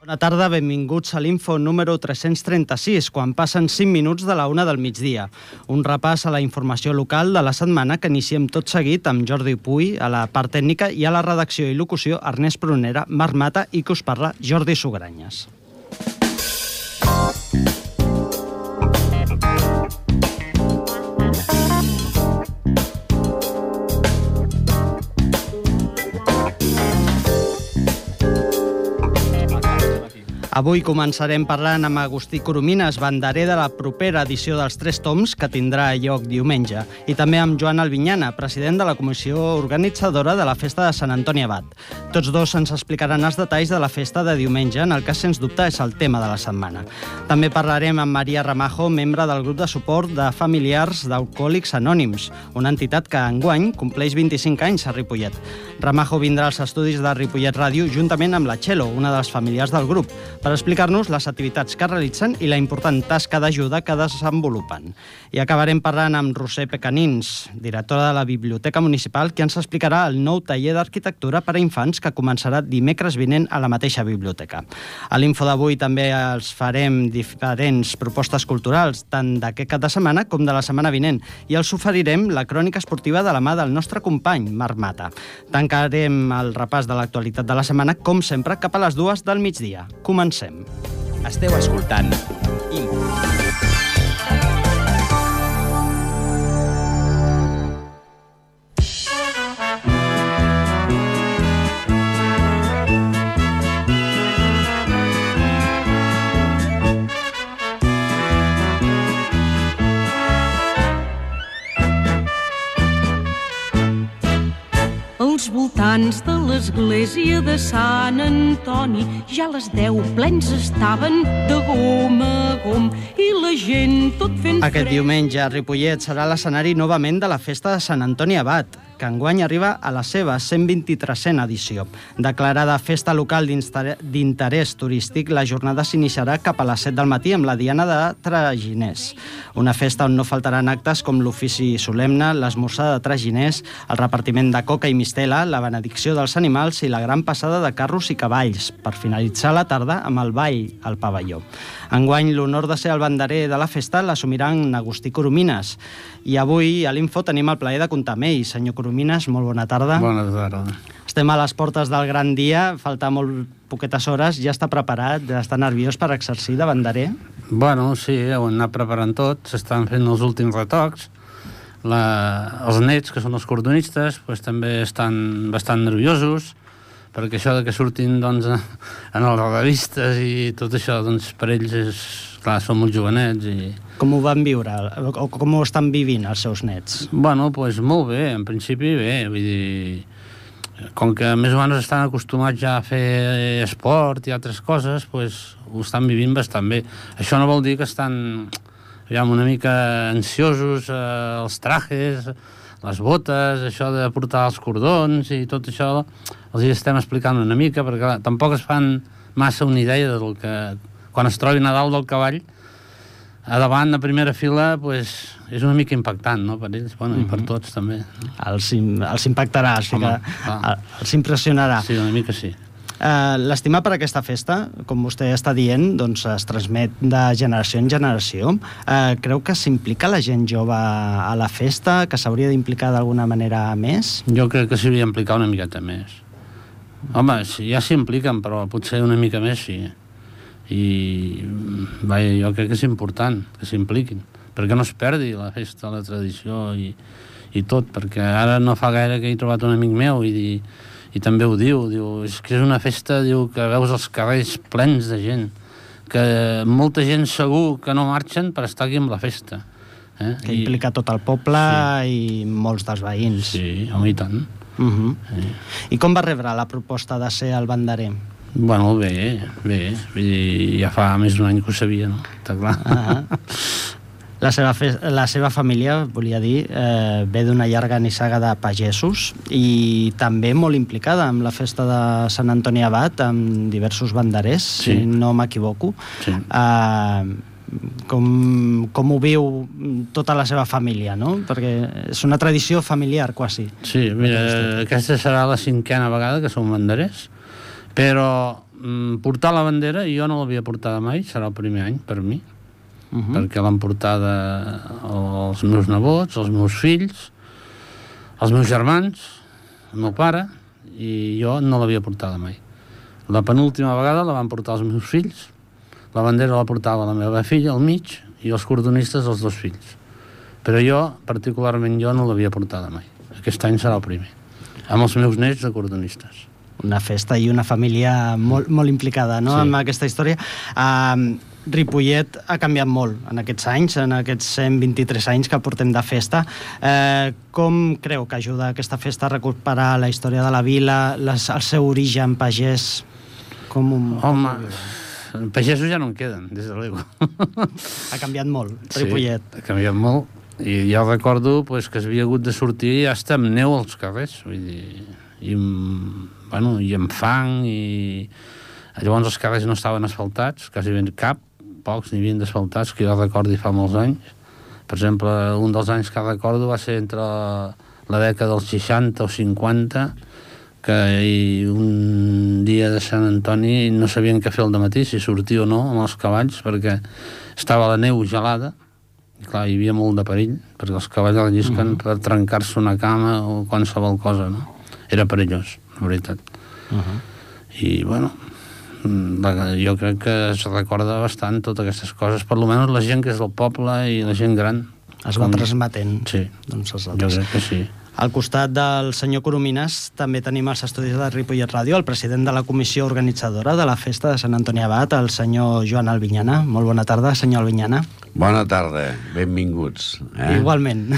Bona tarda, benvinguts a l'Info número 336, quan passen 5 minuts de la 1 del migdia. Un repàs a la informació local de la setmana que iniciem tot seguit amb Jordi Puy a la part tècnica i a la redacció i locució Ernest Prunera, Marc Mata i que us parla Jordi Sugranyes. Avui començarem parlant amb Agustí Coromines, banderer de la propera edició dels 3 toms, que tindrà lloc diumenge, i també amb Joan Albinyana, president de la comissió organitzadora de la festa de Sant Antoni Abat. Tots dos ens explicaran els detalls de la festa de diumenge, en el que, sens dubte, és el tema de la setmana. També parlarem amb Maria Ramajo, membre del grup de suport de familiars d'Alcohòlics Anònims, una entitat que enguany compleix 25 anys a Ripollet. Ramajo vindrà als estudis de Ripollet Ràdio juntament amb la Txelo, una de les familiars del grup, per explicar-nos les activitats que realitzen i la important tasca d'ajuda que desenvolupen. I acabarem parlant amb Roser Pecanins, directora de la Biblioteca Municipal, que ens explicarà el nou taller d'arquitectura per a infants que començarà dimecres vinent a la mateixa biblioteca. A l'Info d'avui també els farem diferents propostes culturals, tant d'aquest cap de setmana com de la setmana vinent, i els oferirem la crònica esportiva de la mà del nostre company, Marc Mata. Tancarem el repàs de l'actualitat de la setmana, com sempre, cap a les 2 del migdia. Comencem. Esteu escoltant Info. Als voltants de l'església de Sant Antoni ja a les 10 plens estaven de gom a gom i la gent tot fent fred. Aquest diumenge a Ripollet serà l'escenari novament de la festa de Sant Antoni Abat, que enguany arriba a la seva 123a edició. Declarada festa local d'interès turístic, la jornada s'iniciarà cap a les 7 del matí amb la Diana de Traginers. Una festa on no faltaran actes com l'ofici solemne, l'esmorzar de traginers, el repartiment de coca i mistela, la benedicció dels animals i la gran passada de carros i cavalls, per finalitzar la tarda amb el ball al pavelló. Enguany, l'honor de ser el banderer de la festa l'assumirà en Agustí Coromines. I avui a l'Info tenim el plaer de comptar amb ell. Senyor Coromines, molt bona tarda. Bona tarda. Estem a les portes del gran dia, falta molt poquetes hores, ja està preparat, ja està nerviós per exercir de banderer? Bueno, sí, ho hem anat preparant tot, s'estan fent els últims retocs. Els nets, que són els cordonistes, doncs, també estan bastant nerviosos, perquè això de que surtin doncs, en les revistes i tot això, doncs, per ells és, clar, són molt jovenets. I... Com ho van viure, o com ho estan vivint els seus nets? Bueno, doncs molt bé, en principi bé, vull dir, com que més o menys estan acostumats ja a fer esport i altres coses, doncs ho estan vivint bastant bé. Això no vol dir que estan una mica ansiosos, els trajes, les botes, això de portar els cordons i tot això, els hi estem explicant una mica, perquè tampoc es fan massa una idea del que, quan es trobin a dalt del cavall, a davant, a primera fila, pues, és una mica impactant, no?, per ells, bueno, i per tots també. Els impactarà, els impressionarà. Sí, una mica sí. L'estima per aquesta festa, com vostè està dient, doncs es transmet de generació en generació. Creu que s'implica la gent jove a la festa, que s'hauria d'implicar d'alguna manera més? Jo crec que s'hauria d'implicar una miqueta més. Home, ja s'impliquen, però potser una mica més sí. I vaja, jo crec que és important que s'impliquin, perquè no es perdi la festa, la tradició i tot, perquè ara no fa gaire que he trobat un amic meu i també ho diu, és que és una festa, diu, que veus els carrers plens de gent, que molta gent segur que no marxen per estar aquí amb la festa. Que implica tot el poble i molts dels veïns. Sí, home, i tant. I com va rebre la proposta de ser el banderer? Bueno, bé, ja fa més d'un any que ho sabia, no? Està clar. La seva família, volia dir, ve d'una llarga nissaga de pagesos i també molt implicada amb la festa de Sant Antoni Abat, amb diversos banderers, si no m'equivoco. Com ho viu tota la seva família, no? Perquè és una tradició familiar, quasi. Sí, mira, aquesta serà la 5a vegada que som banderers, però portar la bandera, jo no l'havia portada mai, serà el primer any per mi, perquè l'han portada els meus nebots, els meus fills, els meus germans, el meu pare, i jo no l'havia portada mai. La penúltima vegada la van portar els meus fills, la bandera la portava la meva filla al mig i els cordonistes els 2 fills. Però jo, particularment jo, no l'havia portada mai. Aquest any serà el primer, amb els meus nets de cordonistes. Una festa i una família molt, molt implicada, no?, en aquesta història. Ripollet ha canviat molt en aquests anys, en aquests 123 anys que portem de festa. Com creu que ajuda aquesta festa a recuperar la història de la vila, el seu origen pagès? Home, pagesos ja no en queden, des de l'ego. Ha canviat molt, Ripollet. Sí, ha canviat molt. I ja recordo que s'havia hagut de sortir hasta amb neu als carrers, vull dir, i amb fang, i llavors els carrers no estaven asfaltats, quasi ben cap, pocs n'hi havien d'asfaltats, que jo recordi fa molts anys. Per exemple, un dels anys que recordo va ser entre la dècada dels 60 o 50, que un dia de Sant Antoni no sabien què fer al dematí, si sortir o no amb els cavalls, perquè estava la neu gelada, i clar, hi havia molt de perill, perquè els cavalls rellisquen per trencar-se una cama o qualsevol cosa, no? Era perillós, la veritat. I, bueno, jo crec que es recorda bastant totes aquestes coses, per almenys la gent que és del poble i la gent gran. Es va transmetent. Sí, jo crec que sí. Al costat del senyor Coromines també tenim els estudis de Ripollet Ràdio, el president de la comissió organitzadora de la festa de Sant Antoni Abat, el senyor Joan Albinyana. Molt bona tarda, senyor Albinyana. Bona tarda, benvinguts. Igualment.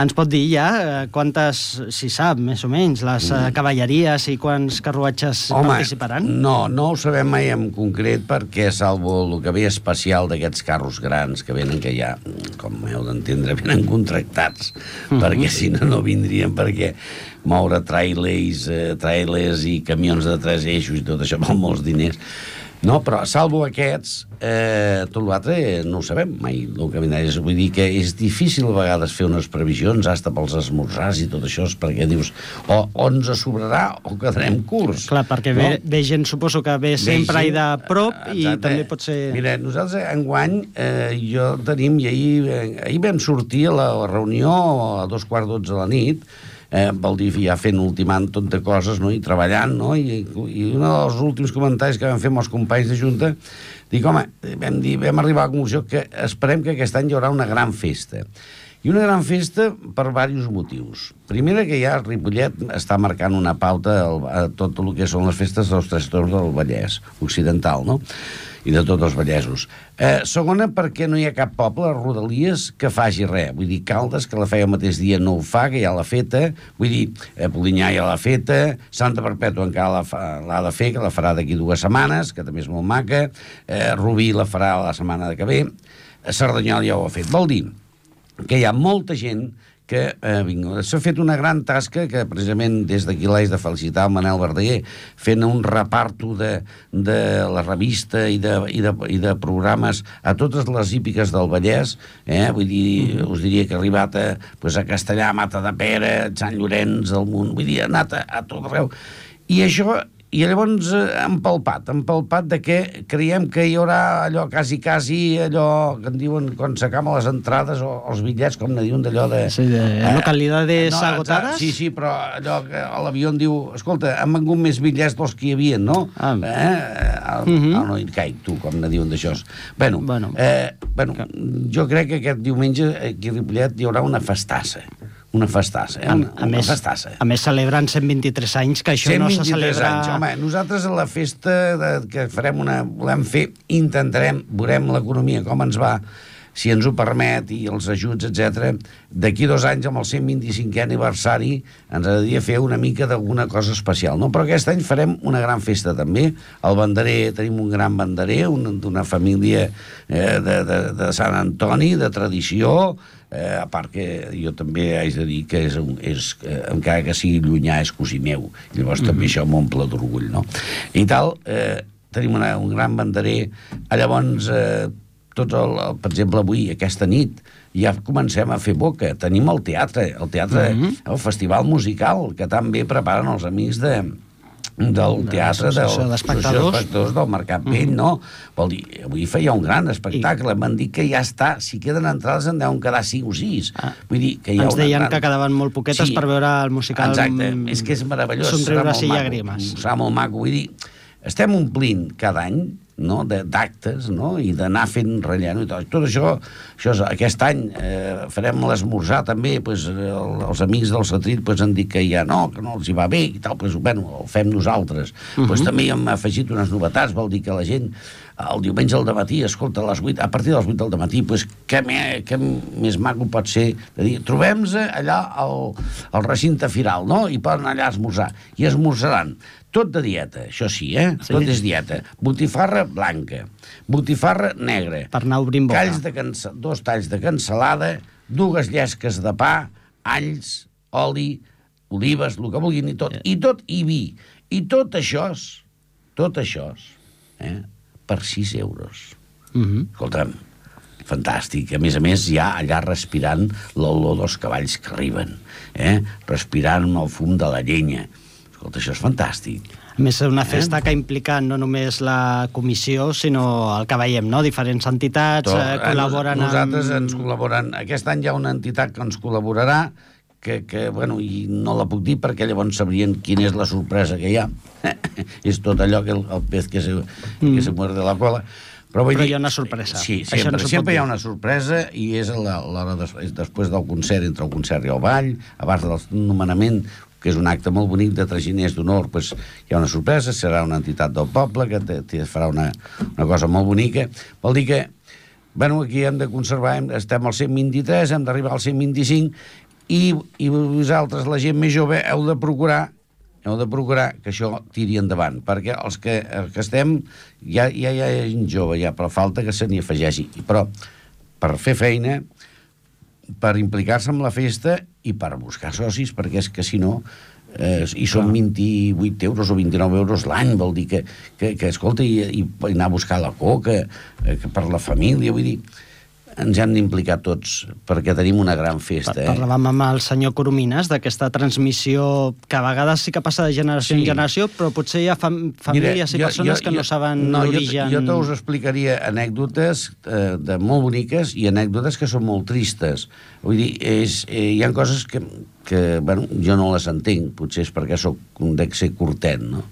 Ens pot dir ja quantes, si sap, més o menys, les cavalleries i quants carruatges participaran? No ho sabem mai en concret perquè, salvo el que ve especial d'aquests carros grans que venen, que ja, com heu d'entendre, venen contractats, perquè si no vindrien, perquè moure trailers i camions de 3 eixos i tot això val molts diners. No, però salvo aquests, tot l'altre no ho sabem mai, el que vindrà. Vull dir que és difícil a vegades fer unes previsions, hasta pels esmorzars i tot això, perquè dius, o ens sobrarà o quedarem curts. Clar, perquè ve gent, suposo que ve sempre i de prop, i també pot ser... Mira, nosaltres enguany jo tenim, i ahir vam sortir a la reunió a 2:15 de la nit, vol dir ja fent ultimant tot de coses, no?, i treballant, no?, i un dels últims comentaris que vam fer amb els companys de Junta, dic, home, vam arribar a la conclusió que esperem que aquest any hi haurà una gran festa. I una gran festa per diversos motius. Primera, que ja Ripollet està marcant una pauta a tot el que són les festes dels 3 Toms del Vallès Occidental, no?, i de tots els vallesos. Segona, perquè no hi ha cap poble a Rodalies que faci res. Vull dir, Caldes, que la feia el mateix dia, no ho fa, que ja l'ha feta. Vull dir, Polinyà ja l'ha feta. Santa Perpètua encara l'ha de fer, que la farà d'aquí 2 setmanes, que també és molt maca. Rubí la farà la setmana que ve. Cerdanyola ja ho ha fet. Vol dir que hi ha molta gent que s'ha fet una gran tasca, que precisament des d'aquí l'haig de felicitar el Manel Verdaguer, fent un reparto de la revista i de programes a totes les hípiques del Vallès, vull dir, us diria que ha arribat a Castellà, Matadepera, Sant Llorenç, del Munt, vull dir, ha anat a tot arreu. I això... I llavors empalpat de que creiem que hi haurà allò quasi, allò que en diuen quan s'acaben les entrades o els bitllets, com ne diuen d'allò de... Sí, de localidades agotadas? Sí, però allò que a l'avió en diu, escolta, han vengut més bitllets dels que hi havia, no? No hi caic, tu, com ne diuen d'això. Bueno, jo crec que aquest diumenge aquí a Ripollet hi haurà una festassa. Una festassa, una festassa. A més, celebren 123 anys, que això no se celebra... Anys. Home, nosaltres a la festa que farem volem fer, veurem l'economia, com ens va, si ens ho permet, i els ajuts, etc. D'aquí 2 anys, amb el 125è aniversari, ens agradaria fer una mica d'alguna cosa especial, no? Però aquest any farem una gran festa, també. El banderer, tenim un gran banderer, d'una família de Sant Antoni, de tradició, a part que jo també haig de dir que encara que sigui llunyà, és cosí meu. Llavors també això m'omple d'orgull, no? I tal, tenim un gran banderer. Llavors, per exemple, avui, aquesta nit, ja comencem a fer boca. Tenim el teatre, el festival musical, que tan bé preparen els amics del teatre d'espectadors del Mercat Vell, no? Vol dir, avui feia un gran espectacle, m'han dit que ja està, si queden entrades en deuen quedar 5 o 6. Vull dir que hi ha ens deien que quedaven molt poquetes per veure el musical. Exacte, és que és meravellós, Somriures i llàgrimes. Serà molt maco, vull dir, estem omplint cada any, no?, d'actes, no?, i d'anar fent relleno i tot això aquest any farem l'esmorzar també, pues, els amics del Satrit pues, han dit que ja no els hi va bé i tal, pues, bueno, ho fem nosaltres. Pues, també hem afegit unes novetats, vol dir que la gent el diumenge al dematí, escolta, a partir de les 8 del matí, pues, què més maco pot ser de dir, trobem-nos allà al recinte firal, no?, i poden anar allà a esmorzar, i esmorzaran tot de dieta, això sí, sí. Tot és dieta. Botifarra blanca, botifarra negra, per anar obrint boca. 2 talls de cansalada, 2 llesques de pa, alls, oli, olives, el que vulguin, i tot, i vi. I tot això, per 6 euros. Escolta'm, fantàstic. A més, ja allà respirant l'olor dels cavalls que arriben, respirant el fum de la llenya. Escolta, això és fantàstic. A més, és una festa que implica no només la comissió, sinó el que veiem, no? Diferents entitats col·laboren Nosaltres ens col·laboren. Aquest any hi ha una entitat que ens col·laborarà, que bueno, i no la puc dir perquè llavors sabrien quina és la sorpresa que hi ha. És tot allò que el pez que se muerde la cola. Però hi ha una sorpresa. Sí, sempre hi ha una sorpresa i és l'hora després del concert, entre el concert i el ball, abans del nomenament, que és un acte molt bonic de traginers d'honor, doncs hi ha una sorpresa, serà una entitat del poble que farà una cosa molt bonica. Vol dir que, bueno, aquí hem de conservar, estem al 123, hem d'arribar al 125, i vosaltres, la gent més jove, heu de procurar que això tiri endavant, perquè els que estem, ja hi ha gent jove, però falta que se n'hi afegeixi. Però per fer feina, per implicar-se en la festa i per buscar socis, perquè és que si no i són 28 euros o 29 euros l'any, vol dir que escolta, i anar a buscar la coca per la família, vull dir, ens hem d'implicar tots perquè tenim una gran festa. Parlàvem amb el senyor Coromines d'aquesta transmissió que a vegades sí que passa de generació en generació, però potser hi ha famílies i persones que no saben l'origen. Jo us explicaria anècdotes molt boniques i anècdotes que són molt tristes. Vull dir, hi ha coses que bueno, jo no les entenc, potser és perquè dec ser curtet, no?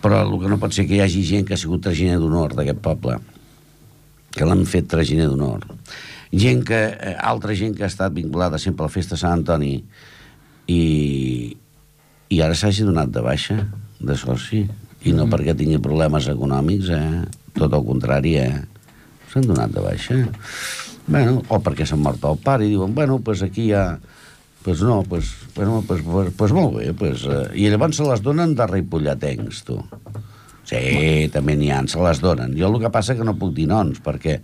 Però el que no pot ser que hi hagi gent que ha sigut traginer d'honor d'aquest poble, que l'han fet traginer d'honor. Altra gent que ha estat vinculada sempre a la festa de Sant Antoni i ara s'hagi donat de baixa de soci, i no perquè tingui problemes econòmics, tot el contrari, s'han donat de baixa. Bueno, o perquè s'ha mort el pare i diuen, bueno, pues aquí hi ha... Pues no, pues molt bé, i llavors se les donen de ripolletens, tu. Sí, també n'hi ha, se les donen. Jo el que passa que no puc dir noms, perquè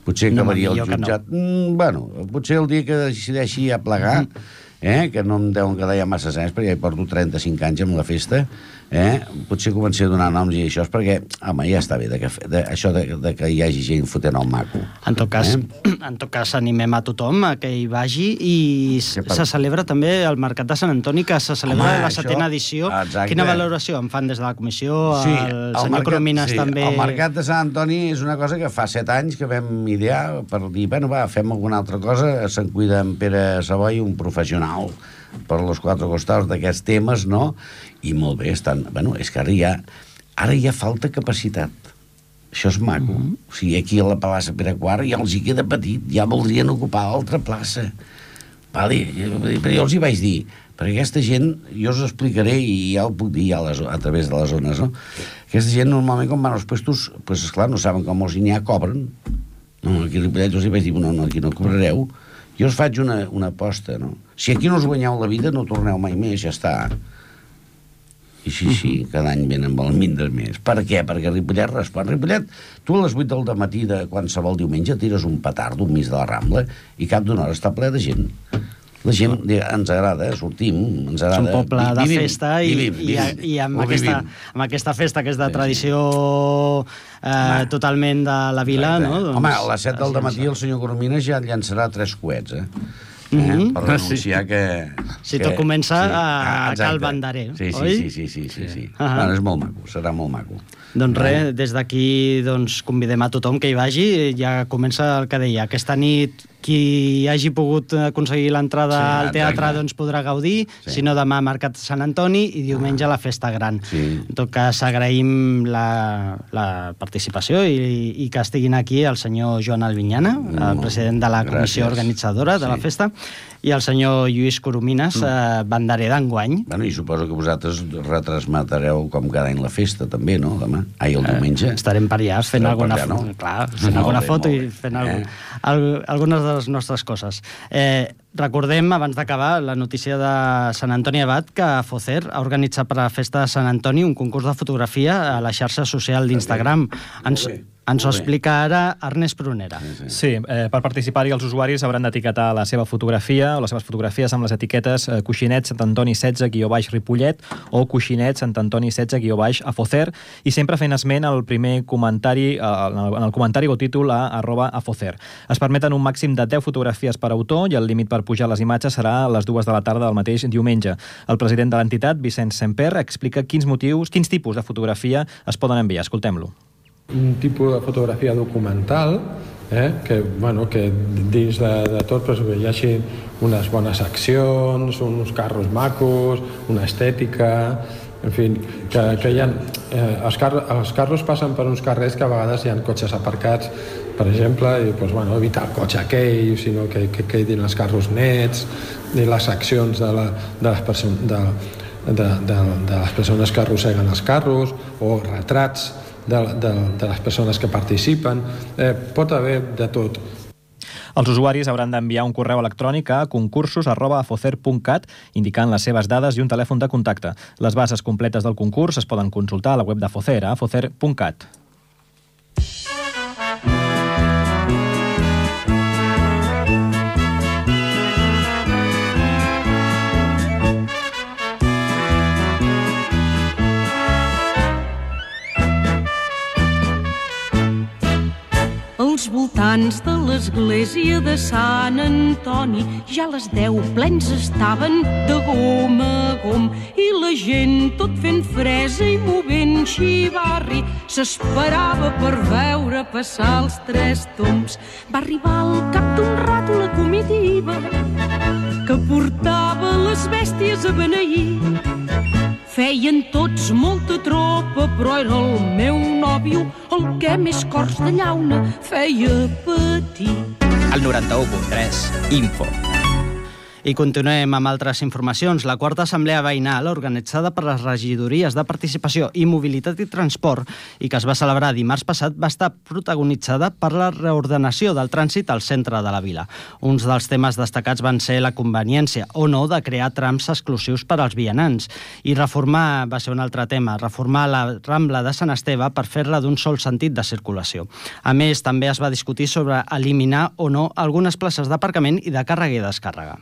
potser acabaria el jutjat... Bueno, potser el dia que decideixi a plegar, que no em deuen quedar ja massa anys, perquè ja hi porto 35 anys amb la festa, potser començaré a donar noms i això és perquè, home, ja està bé, això de que hi hagi gent fotent el maco. En tot cas, animem a tothom a que hi vagi i se celebra també el Mercat de Sant Antoni, que se celebra la 7ª edició. Quina valoració en fan des de la comissió? El senyor Coromines també... El Mercat de Sant Antoni és una cosa que fa 7 anys que vam idear per dir, bueno, va, fem alguna altra cosa, se'n cuida en Pere Savoy, un professional per los 4 costats d'aquests temes, no? I molt bé, bueno, és que ara ja falta capacitat. Això és maco. O sigui, aquí a la plaça Pere IV ja els hi queda petit, ja voldrien ocupar l'altra plaça. Vale? Però jo els hi vaig dir, perquè aquesta gent, jo us explicaré, i ja ho puc dir a través de les zones, no? Aquesta gent normalment quan van als puestos, pues esclar, no saben com els n'hi ha, cobren. No, aquí a Ripollet els hi vaig dir, no, aquí no cobrareu. Jo us faig una aposta, no? Si aquí no us guanyeu la vida, no torneu mai més, ja està. I sí, cada any venen valmindres més. Per què? Perquè Ripollet respon. Ripollet, tu a les 8 del matí de qualsevol diumenge tires un petardo enmig de la Rambla i cap d'una hora està ple de gent. La gent ens agrada, sortim, ens agrada. És un poble de festa i amb aquesta festa que és de tradició totalment de la vila, no? Home, a les 7 del matí el senyor Coromines ja llançarà 3 coets, per denunciar que... Si tot comença a Cal Banderer, oi? Sí. Bueno, és molt maco, serà molt maco. Doncs res, des d'aquí convidem a tothom que hi vagi. Ja comença el que deia. Aquesta nit qui hagi pogut aconseguir l'entrada al teatre podrà gaudir, si no demà Mercat Sant Antoni i diumenge la Festa Gran. En tot cas, agraïm la participació i que estiguin aquí el senyor Joan Albinyana, el president de la comissió organitzadora de la festa, i el senyor Lluís Coromines, banderer d'enguany. I suposo que vosaltres retransmetreu com cada any la festa, també, no? Demà. El diumenge. Estarem per allà fent alguna foto i fent algunes de les nostres coses. Recordem, abans d'acabar, la notícia de Sant Antoni Abat, que Focer ha organitzat per a la festa de Sant Antoni un concurs de fotografia a la xarxa social d'Instagram. Ens ho explica ara Ernest Prunera. Sí, per participar-hi els usuaris hauran d'etiquetar la seva fotografia o les seves fotografies amb les etiquetes Coixinet Sant Antoni 16-Ripollet o Coixinet Sant Antoni 16-Afocer, i sempre fent esment al primer comentari, en el comentari o títol a @afocer. Es permeten un màxim de 10 fotografies per autor i el límit per pujar les imatges serà a les 2 de la tarda del mateix diumenge. El president de l'entitat, Vicenç Semper, explica quins tipus de fotografia es poden enviar. Escoltem-lo. Un tipus de fotografia documental que dins de tot hi hagi unes bones accions, uns carros macos, una estètica, en fi, que hi ha... Els carros passen per uns carrers que a vegades hi ha cotxes aparcats, per exemple, i evitar el cotxe aquell, sinó que quedin els carros nets, i les accions de les persones que arrosseguen els carros, o retrats de les persones que participen. Pot haver de tot. Els usuaris hauran d'enviar un correu electrònic a concursos@afocer.cat indicant les seves dades i un telèfon de contacte. Les bases completes del concurs es poden consultar a la web d'Afocer, a afocer.cat. Als voltants de l'església de Sant Antoni ja les 10 plens estaven de gom a gom i la gent tot fent fresa i movent xivarri s'esperava per veure passar els 3 tombs. Va arribar al cap d'un rato la comitiva que portava les bèsties a beneir. Feien tots molta tropa, però era el meu nòvio el que més cors de llauna feia patir. El 91.3, Info. I continuem amb altres informacions. La quarta assemblea veïnal, organitzada per les regidories de Participació i Mobilitat i Transport i que es va celebrar dimarts passat, va estar protagonitzada per la reordenació del trànsit al centre de la vila. Uns dels temes destacats van ser la conveniència o no de crear trams exclusius per als vianants i reformar, va ser un altre tema, reformar la Rambla de Sant Esteve per fer-la d'un sol sentit de circulació. A més, també es va discutir sobre eliminar o no algunes places d'aparcament i de càrrega i descàrrega.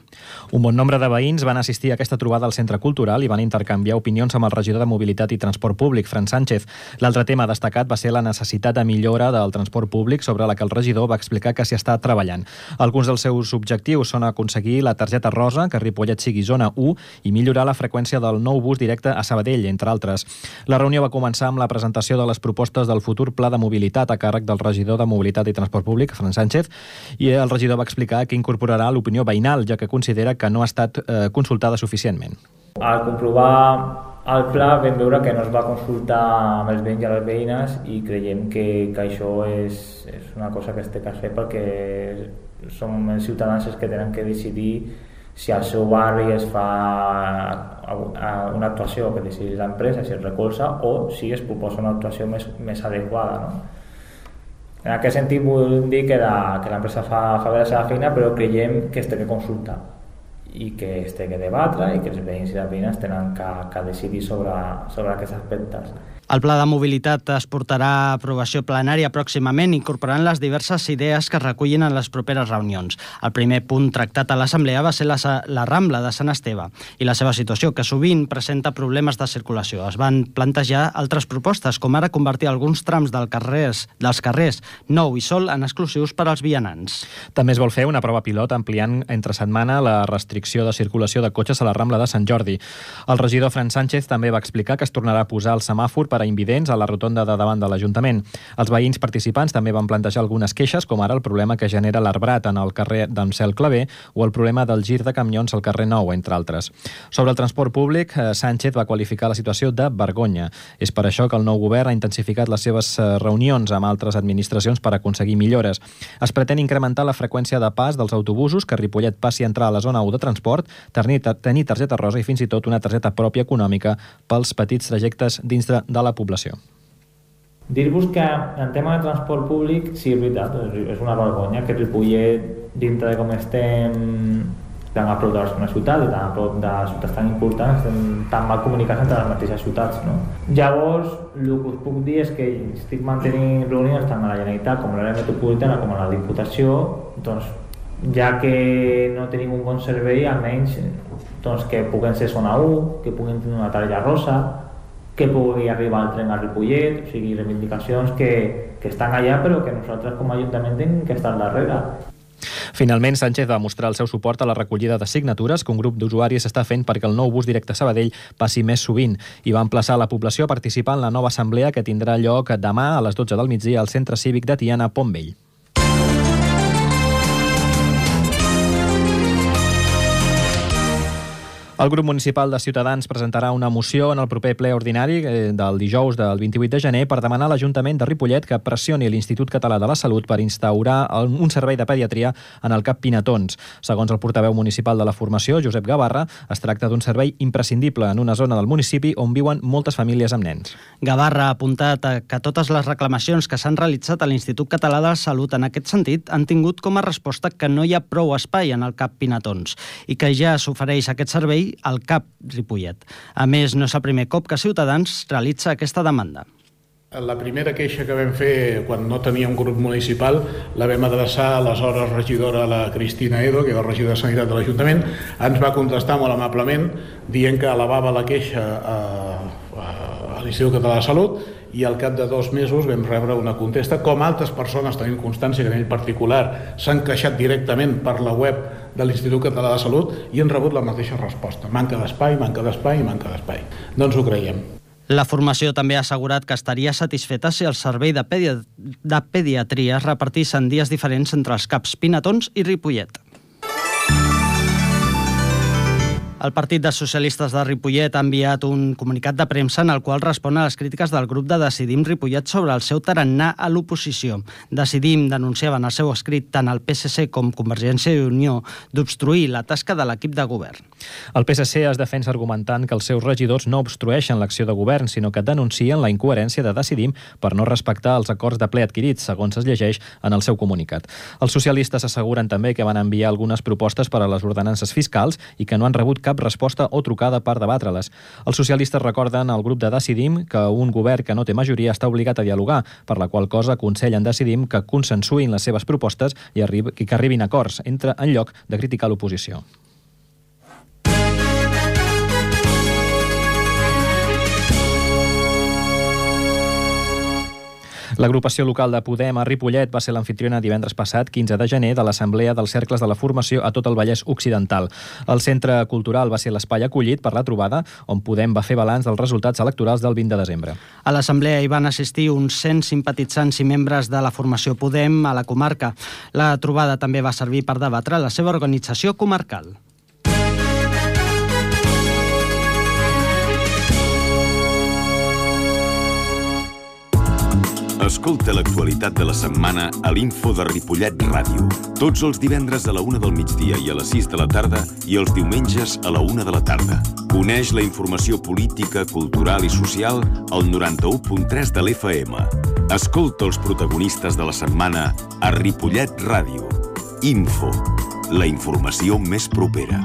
Un bon nombre de veïns van assistir a aquesta trobada al Centre Cultural i van intercanviar opinions amb el regidor de Mobilitat i Transport Públic, Fran Sánchez. L'altre tema destacat va ser la necessitat de millora del transport públic, sobre la que el regidor va explicar que s'hi està treballant. Alguns dels seus objectius són aconseguir la targeta rosa, que Ripollet sigui zona 1, i millorar la freqüència del nou bus directe a Sabadell, entre altres. La reunió va començar amb la presentació de les propostes del futur pla de mobilitat a càrrec del regidor de Mobilitat i Transport Públic, Fran Sánchez, i el regidor va explicar que incorporarà l'opinió veïnal, ja que considera que no ha estat consultada suficientment. Al comprovar el pla vam veure que no es va consultar amb els veïns i les veïnes i creiem que això és una cosa que es té que fer perquè som els ciutadans els que tenen que decidir si al seu barri es fa una actuació que decideix l'empresa, si es recolza o si es proposa una actuació més adequada, no? En aquest sentit vull dir que l'empresa fa bé la seva feina, però creiem que es té que consultar i que es té que debatre i que els veïns i les veïnes tenen que decidir sobre aquests aspectes. El pla de mobilitat es portarà a aprovació plenària pròximament, incorporant les diverses idees que es recullin en les properes reunions. El primer punt tractat a l'Assemblea va ser la Rambla de Sant Esteve i la seva situació, que sovint presenta problemes de circulació. Es van plantejar altres propostes, com ara convertir alguns trams dels carrers Nou i Sol en exclusius per als vianants. També es vol fer una prova pilot ampliant entre setmana la restricció de circulació de cotxes a la Rambla de Sant Jordi. El regidor Fran Sánchez també va explicar que es tornarà a posar el semàfor per a invidents a la rotonda de davant de l'Ajuntament. Els veïns participants també van plantejar algunes queixes, com ara el problema que genera l'arbrat en el carrer d'Amsel Clavé o el problema del gir de camions al carrer Nou, entre altres. Sobre el transport públic, Sánchez va qualificar la situació de vergonya. És per això que el nou govern ha intensificat les seves reunions amb altres administracions per aconseguir millores. Es pretén incrementar la freqüència de pas dels autobusos, que Ripollet passi a entrar a la zona 1 de transport, tenir targeta rosa i fins i tot una targeta pròpia econòmica pels petits trajectes dins de la població. Dir-vos que en tema de transport públic, sí, és veritat, és una vergonya que Ripollet, dintre de com estem tan a prop de la ciutat i tan a prop de ciutats tan importants, estem tan mal comunicats entre les mateixes ciutats, no? Llavors, el que us puc dir és que estic mantenint reunions tant a la Generalitat com a l'àrea metropolitana com a la Diputació, doncs, ja que no tenim un bon servei, almenys doncs, que puguin ser zona 1, que puguin tenir una targeta rosa, que pugui arribar el tren a Ripollet, o sigui, reivindicacions que estan allà però que nosaltres com a Ajuntament hem que estar darrere. Finalment, Sánchez va mostrar el seu suport a la recollida de signatures que un grup d'usuaris està fent perquè el nou bus directe a Sabadell passi més sovint i va emplaçar la població a participar en la nova assemblea que tindrà lloc demà a les 12 del migdia al Centre Cívic de Tiana, Pont Vell. El grup municipal de Ciutadans presentarà una moció en el proper ple ordinari del dijous del 28 de gener per demanar a l'Ajuntament de Ripollet que pressioni l'Institut Català de la Salut per instaurar un servei de pediatria en el CAP Pinatons. Segons el portaveu municipal de la formació, Josep Gavarra, es tracta d'un servei imprescindible en una zona del municipi on viuen moltes famílies amb nens. Gavarra ha apuntat que totes les reclamacions que s'han realitzat a l'Institut Català de la Salut en aquest sentit han tingut com a resposta que no hi ha prou espai en el CAP Pinatons i que ja s'ofereix aquest servei al CAP Ripollet. A més, no és el primer cop que Ciutadans realitza aquesta demanda. La primera queixa que vam fer quan no teníem grup municipal la vam adreçar a l'aleshores regidora, la Cristina Edo, que era regidora de Sanitat de l'Ajuntament. Ens va contestar molt amablement dient que elevava la queixa a l'Institut Català de Salut i al cap de 2 mesos vam rebre una contesta, com altres persones tenim constància que en ell particular s'han queixat directament per la web de l'Institut Català de Salut i han rebut la mateixa resposta. Manca d'espai, manca d'espai i manca d'espai. No ens ho creiem. La formació també ha assegurat que estaria satisfeta si el servei de pediatria es repartís en dies diferents entre els CAPs Pinatons i Ripollet. El Partit dels Socialistes de Ripollet ha enviat un comunicat de premsa en el qual respon a les crítiques del grup de Decidim Ripollet sobre el seu tarannà a l'oposició. Decidim denunciava en el seu escrit tant el PSC com Convergència i Unió d'obstruir la tasca de l'equip de govern. El PSC es defensa argumentant que els seus regidors no obstrueixen l'acció de govern, sinó que denuncien la incoherència de Decidim per no respectar els acords de ple adquirits, segons es llegeix en el seu comunicat. Els socialistes asseguren també que van enviar algunes propostes per a les ordenances fiscals i que no han rebut cap resposta o trucada per debatre-les. Els socialistes recorden al grup de Decidim que un govern que no té majoria està obligat a dialogar, per la qual cosa aconsellen Decidim que consensuïn les seves propostes i que arribin a acords en lloc de criticar l'oposició. L'agrupació local de Podem a Ripollet va ser l'anfitriona divendres passat, 15 de gener, de l'Assemblea dels Cercles de la Formació a tot el Vallès Occidental. El centre cultural va ser l'espai acollit per la trobada, on Podem va fer balanç dels resultats electorals del 20 de desembre. A l'assemblea hi van assistir uns 100 simpatitzants i membres de la formació Podem a la comarca. La trobada també va servir per debatre la seva organització comarcal. Escolta l'actualitat de la setmana a l'Info de Ripollet Ràdio. Tots els divendres a la 1 del migdia i a les 6 de la tarda i els diumenges a la 1 de la tarda. Coneix la informació política, cultural i social al 91.3 de l'FM. Escolta els protagonistes de la setmana a Ripollet Ràdio. Info, la informació més propera.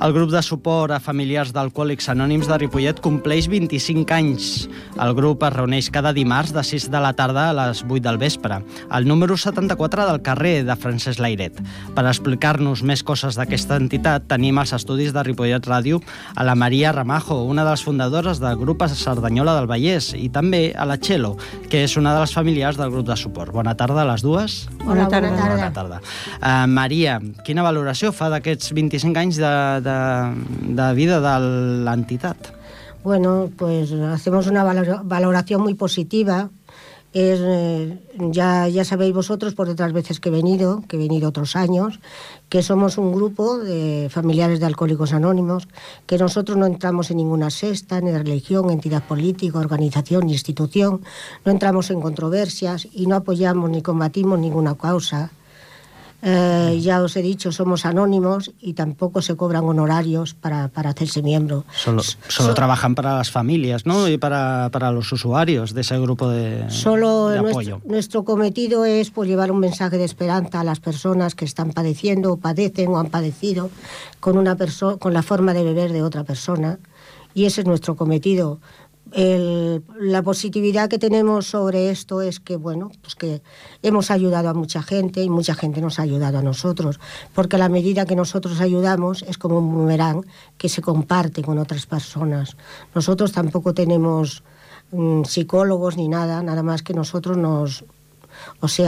El grup de suport a familiars d'alcohòlics anònims de Ripollet compleix 25 anys. El grup es reuneix cada dimarts de 6 de la tarda a les 8 del vespre, al número 74 del carrer de Francesc Layret. Per explicar-nos més coses d'aquesta entitat, tenim als estudis de Ripollet Ràdio a la Maria Ramajo, una de les fundadores del grup a Cerdanyola del Vallès, i també a la Txelo, que és una de les familiars del grup de suport. Bona tarda a les dues. Bona tarda. Bona tarda. Maria, quina valoració fa d'aquests 25 anys de vida de l'entitat? Bueno, pues hacemos una valoración muy positiva. Ya sabéis vosotros por otras veces que he venido otros años, que somos un grupo de familiares de Alcohólicos Anónimos, que nosotros no entramos en ninguna secta, ni religión, entidad política, organización, ni institución, no entramos en controversias y no apoyamos ni combatimos ninguna causa. Ya os he dicho, somos anónimos y tampoco se cobran honorarios para hacerse miembro. Solo trabajan para las familias, ¿no? Y para los usuarios de ese grupo de apoyo. Nuestro cometido es pues, llevar un mensaje de esperanza a las personas que están padeciendo o padecen o han padecido con la forma de beber de otra persona. Y ese es nuestro cometido. La positividad que tenemos sobre esto es que, bueno, pues que hemos ayudado a mucha gente y mucha gente nos ha ayudado a nosotros, porque a la medida que nosotros ayudamos es como un boomerang que se comparte con otras personas. Nosotros tampoco tenemos psicólogos ni nada más que nosotros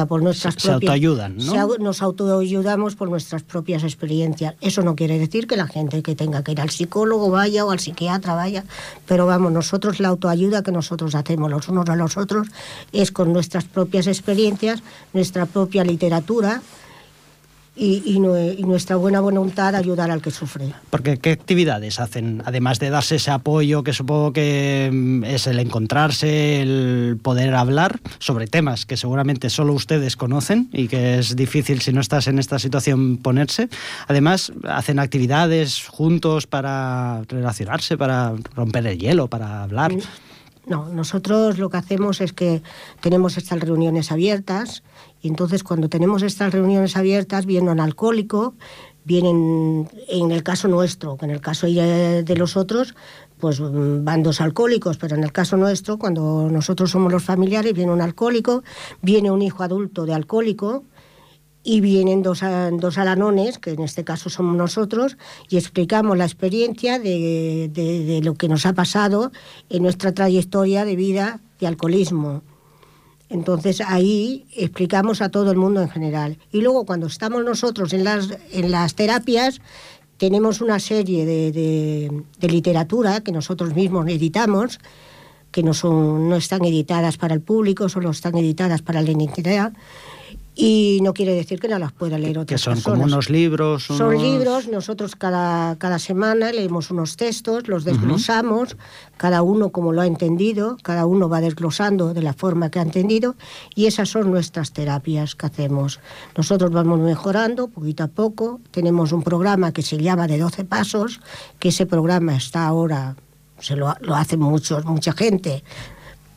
por nuestras se autoayudan, ¿no? Nos autoayudamos por nuestras propias experiencias. Eso no quiere decir que la gente que tenga que ir al psicólogo vaya o al psiquiatra vaya, pero vamos, nosotros la autoayuda que nosotros hacemos los unos a los otros es con nuestras propias experiencias, nuestra propia literatura y nuestra buena voluntad de ayudar al que sufre. Porque ¿qué actividades hacen? Además de darse ese apoyo, que supongo que es el encontrarse, el poder hablar sobre temas que seguramente solo ustedes conocen y que es difícil, si no estás en esta situación, ponerse. Además, hacen actividades juntos para relacionarse, para romper el hielo, para hablar. No, nosotros lo que hacemos es que tenemos estas reuniones abiertas y entonces cuando tenemos estas reuniones abiertas viene un alcohólico, vienen, en el caso nuestro, que en el caso de los otros, pues van dos alcohólicos, pero en el caso nuestro, cuando nosotros somos los familiares, viene un alcohólico, viene un hijo adulto de alcohólico, y vienen dos alanones, que en este caso somos nosotros, y explicamos la experiencia de lo que nos ha pasado en nuestra trayectoria de vida de alcoholismo. Entonces ahí explicamos a todo el mundo en general. Y luego cuando estamos nosotros en las terapias, tenemos una serie de literatura que nosotros mismos editamos, que no están editadas para el público, solo están editadas para la entidad. Y no quiere decir que no las pueda leer otras personas. Que son como unos libros. Son libros, nosotros cada semana leemos unos textos, los desglosamos, cada uno como lo ha entendido, cada uno va desglosando de la forma que ha entendido, y esas son nuestras terapias que hacemos. Nosotros vamos mejorando poquito a poco, tenemos un programa que se llama de 12 pasos, que ese programa está ahora, lo hace mucha gente.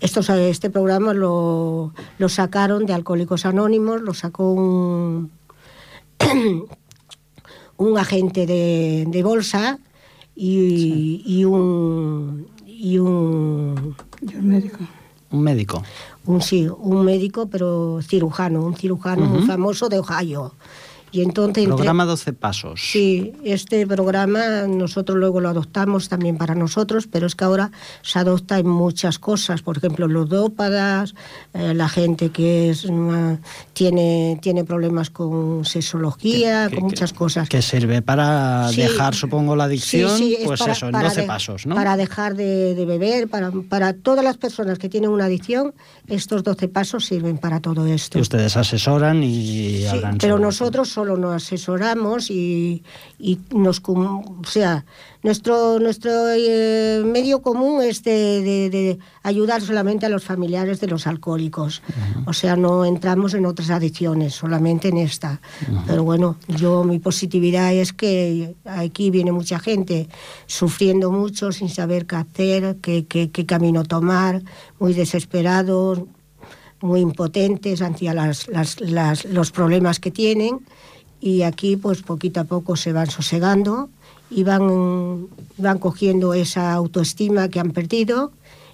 Este programa lo sacaron de Alcohólicos Anónimos, lo sacó un agente de bolsa y un médico. Un médico. Un médico, pero cirujano, muy famoso de Ohio. Y entonces, programa 12 pasos. Sí, este programa nosotros luego lo adoptamos también para nosotros, pero es que ahora se adopta en muchas cosas, por ejemplo, ludópatas, la gente que tiene problemas con sexología, con muchas cosas. Que sirve para dejar, supongo, la adicción, pues para, eso, en 12 pasos, ¿no? Para dejar de beber, para todas las personas que tienen una adicción, estos 12 pasos sirven para todo esto. Y ustedes asesoran y hablan. Pero nosotros solo nos asesoramos y nuestro medio común es de ayudar solamente a los familiares de los alcohólicos. O sea, no entramos en otras adicciones, solamente en esta. Pero bueno, mi positividad es que aquí viene mucha gente sufriendo mucho, sin saber qué hacer, qué camino tomar, muy desesperados, muy impotentes ante los problemas que tienen, y aquí pues poquito a poco se van sosegando y van cogiendo esa autoestima que han perdido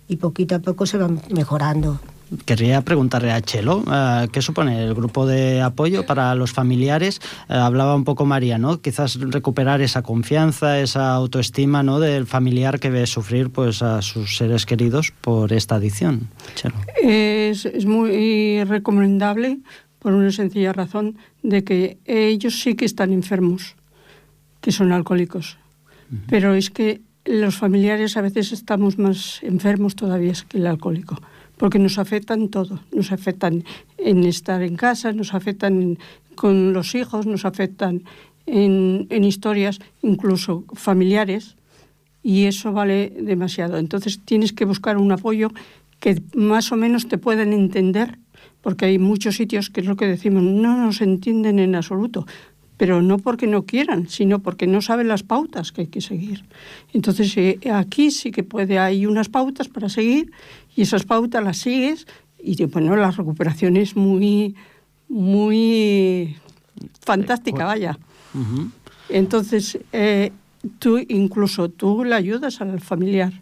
y poquito a poco se van mejorando. Querría preguntarle a Chelo, ¿qué supone el grupo de apoyo para los familiares? Hablaba un poco María, ¿no? Quizás recuperar esa confianza, esa autoestima, ¿no?, del familiar que ve sufrir pues a sus seres queridos por esta adicción. Chelo. Es muy recomendable por una sencilla razón de que ellos sí que están enfermos, que son alcohólicos. Pero es que los familiares a veces estamos más enfermos todavía que el alcohólico, porque nos afectan todo, nos afectan en estar en casa, nos afectan con los hijos, nos afectan en historias incluso familiares, y eso vale demasiado. Entonces tienes que buscar un apoyo que más o menos te puedan entender, porque hay muchos sitios que es lo que decimos, no nos entienden en absoluto, pero no porque no quieran, sino porque no saben las pautas que hay que seguir. Entonces aquí sí que hay unas pautas para seguir, y esas pautas las sigues, y bueno, la recuperación es muy, muy fantástica, vaya. Entonces, tú le ayudas al familiar.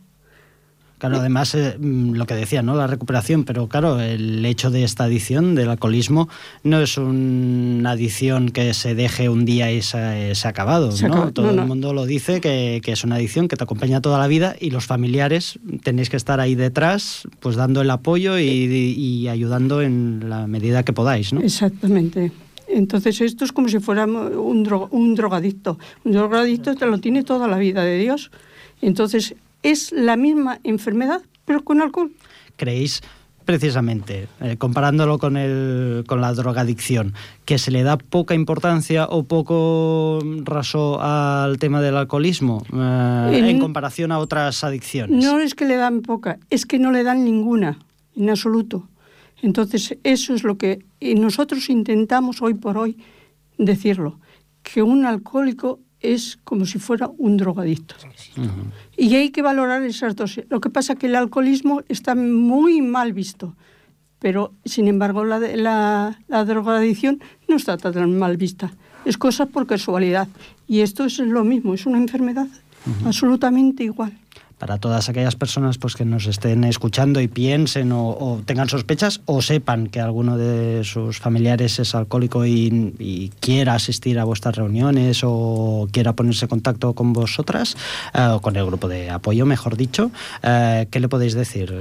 Claro, además, lo que decía, ¿no?, la recuperación, pero claro, el hecho de esta adicción, del alcoholismo, no es una adicción que se deje un día y se ha acabado, ¿no? Todo el mundo lo dice, que es una adicción que te acompaña toda la vida, y los familiares tenéis que estar ahí detrás, pues dando el apoyo y ayudando en la medida que podáis, ¿no? Exactamente. Entonces esto es como si fuera un drogadicto. Un drogadicto te lo tiene toda la vida de Dios. Entonces es la misma enfermedad, pero con alcohol. ¿Creéis, precisamente, comparándolo con la drogadicción, que se le da poca importancia o poco raso al tema del alcoholismo en comparación a otras adicciones? No es que le dan poca, es que no le dan ninguna, en absoluto. Entonces eso es lo que nosotros intentamos hoy por hoy decirlo, que un alcohólico es como si fuera un drogadicto. Y hay que valorar esas dos. Lo que pasa es que el alcoholismo está muy mal visto, pero sin embargo la drogadicción no está tan mal vista. Es cosa por casualidad. Y esto es lo mismo, es una enfermedad absolutamente igual. Para todas aquellas personas pues que nos estén escuchando y piensen o tengan sospechas o sepan que alguno de sus familiares es alcohólico y quiera asistir a vuestras reuniones o quiera ponerse en contacto con vosotras, o con el grupo de apoyo, mejor dicho, ¿qué le podéis decir?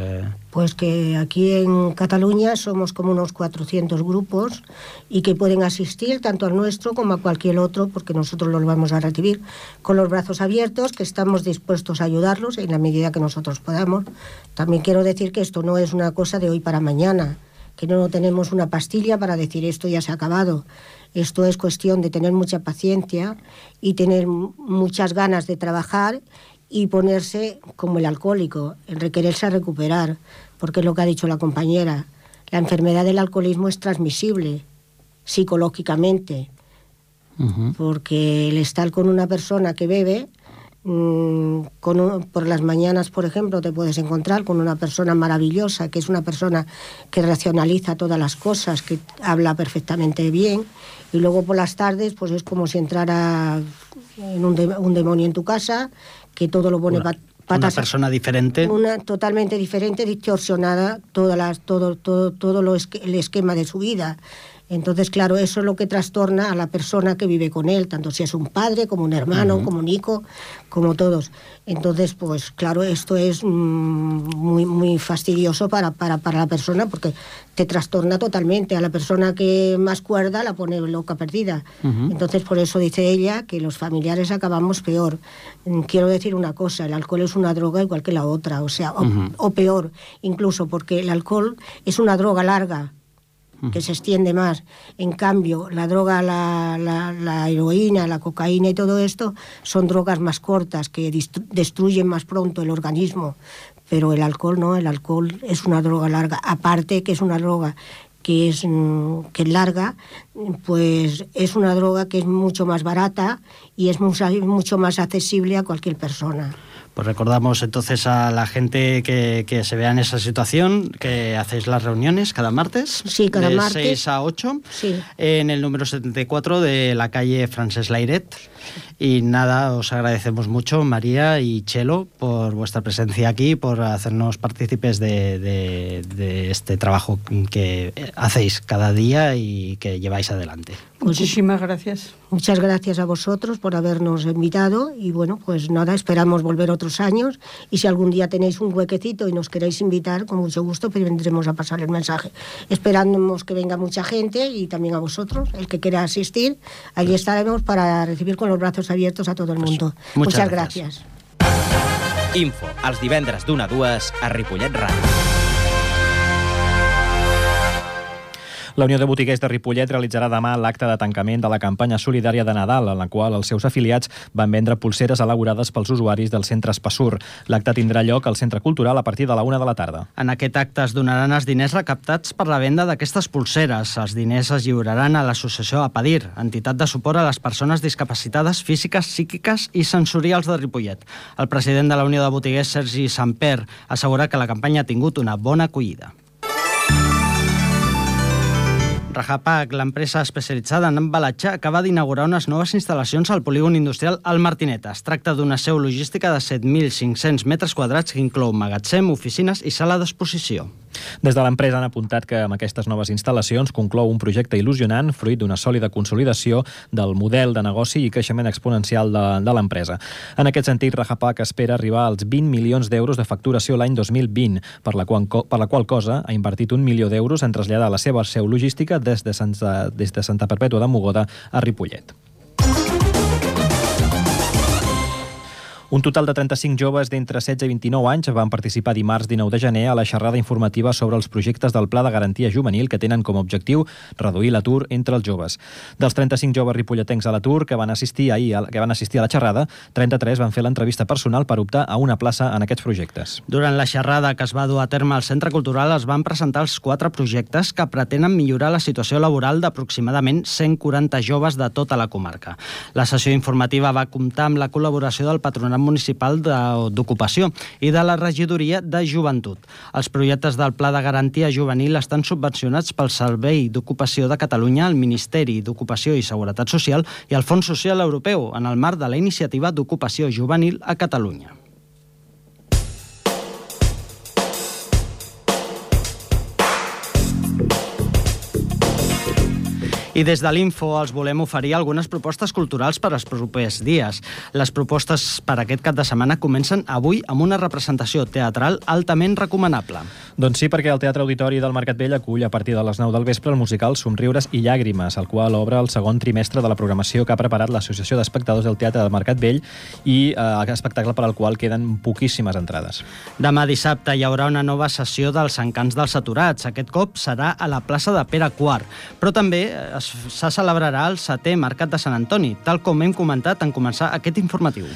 Pues que aquí en Cataluña somos como unos 400 grupos y que pueden asistir tanto al nuestro como a cualquier otro, porque nosotros los vamos a recibir con los brazos abiertos, que estamos dispuestos a ayudarlos en la medida que nosotros podamos. También quiero decir que esto no es una cosa de hoy para mañana, que no tenemos una pastilla para decir esto ya se ha acabado. Esto es cuestión de tener mucha paciencia y tener muchas ganas de trabajar y ponerse como el alcohólico, el requererse a recuperar, porque es lo que ha dicho la compañera. La enfermedad del alcoholismo es transmisible psicológicamente, porque el estar con una persona que bebe, por las mañanas, por ejemplo, te puedes encontrar con una persona maravillosa, que es una persona que racionaliza todas las cosas, que habla perfectamente bien, y luego por las tardes pues es como si entrara en un demonio en tu casa, que todo lo pone patas. Una persona diferente. Una totalmente diferente, distorsionada, todo el esquema de su vida. Entonces, claro, eso es lo que trastorna a la persona que vive con él, tanto si es un padre, como un hermano, como un hijo, como todos. Entonces, pues claro, esto es muy, muy fastidioso para la persona, porque te trastorna totalmente. A la persona que más cuerda la pone loca perdida. Entonces, por eso dice ella que los familiares acabamos peor. Quiero decir una cosa, el alcohol es una droga igual que la otra, o sea, o peor, incluso porque el alcohol es una droga larga, que se extiende más. En cambio, la droga, la heroína, la cocaína y todo esto son drogas más cortas, que destruyen más pronto el organismo. Pero el alcohol no, el alcohol es una droga larga. Aparte que es una droga que es larga, pues es una droga que es mucho más barata y es mucho más accesible a cualquier persona. Pues recordamos entonces a la gente que se vea en esa situación, que hacéis las reuniones cada martes. Sí, cada de martes. 6 a 8. Sí. En el número 74 de la calle Francesc Layret. Y nada, os agradecemos mucho, María y Chelo, por vuestra presencia aquí, por hacernos partícipes de este trabajo que hacéis cada día y que lleváis adelante. Muchísimas gracias. Muchas gracias a vosotros por habernos invitado y bueno, pues nada, esperamos volver otros años y si algún día tenéis un huequecito y nos queréis invitar, con mucho gusto, pues vendremos a pasar el mensaje. Esperamos que venga mucha gente y también a vosotros, el que quiera asistir, allí estaremos para recibir con los brazos abiertos a todo el mundo. Pues, muchas gracias. Info, els divendres d'1 a 2 a Ripollet Ràdio. La Unió de Botiguers de Ripollet realitzarà demà l'acte de tancament de la campanya solidària de Nadal, en la qual els seus afiliats van vendre pulseres elaborades pels usuaris del centre Espassur. L'acte tindrà lloc al Centre Cultural a partir de la 1 de la tarda. En aquest acte es donaran els diners recaptats per la venda d'aquestes pulseres. Els diners es lliuraran a l'associació APADIR, entitat de suport a les persones discapacitades físiques, psíquiques i sensorials de Ripollet. El president de la Unió de Botiguers, Sergi Samper, assegura que la campanya ha tingut una bona acollida. Rajapac, l'empresa especialitzada en embalatge, acaba d'inaugurar unes noves instal·lacions al polígon industrial El Martinet. Es tracta d'una seu logística de 7.500 metres quadrats que inclou magatzem, oficines i sala d'exposició. Des de l'empresa han apuntat que amb aquestes noves instal·lacions conclou un projecte il·lusionant, fruit d'una sòlida consolidació del model de negoci i creixement exponencial de l'empresa. En aquest sentit, Rajapac espera arribar als 20 milions d'euros de facturació l'any 2020, per la qual cosa ha invertit 1 milió d'euros en traslladar la seva seu logística des de Santa Perpètua de Mogoda a Ripollet. Un total de 35 joves d'entre 16 i 29 anys van participar dimarts 19 de gener a la xerrada informativa sobre els projectes del Pla de Garantia Juvenil que tenen com a objectiu reduir l'atur entre els joves. Dels 35 joves ripolletens a l'atur que van assistir a la xerrada, 33 van fer l'entrevista personal per optar a una plaça en aquests projectes. Durant la xerrada que es va dur a terme al Centre Cultural es van presentar els 4 projectes que pretenen millorar la situació laboral d'aproximadament 140 joves de tota la comarca. La sessió informativa va comptar amb la col·laboració del Patronat Municipal d'Ocupació i de la Regidoria de Joventut. Els projectes del Pla de Garantia Juvenil estan subvencionats pel Servei d'Ocupació de Catalunya, el Ministeri d'Ocupació i Seguretat Social i el Fons Social Europeu en el marc de la Iniciativa d'Ocupació Juvenil a Catalunya. I des de l'Info els volem oferir algunes propostes culturals per als propers dies. Les propostes per aquest cap de setmana comencen avui amb una representació teatral altament recomanable. Doncs sí, perquè el Teatre Auditori del Mercat Vell acull a partir de les 9 del vespre el musical Somriures i Llàgrimes, el qual obre el segon trimestre de la programació que ha preparat l'Associació d'Espectadors del Teatre del Mercat Vell i espectacle per al qual queden poquíssimes entrades. Demà dissabte hi haurà una nova sessió dels Encants dels Aturats. Aquest cop serà a la plaça de Pere IV, però també se celebrarà el 7è Mercat de Sant Antoni, tal com hem comentat en començar aquest informatiu.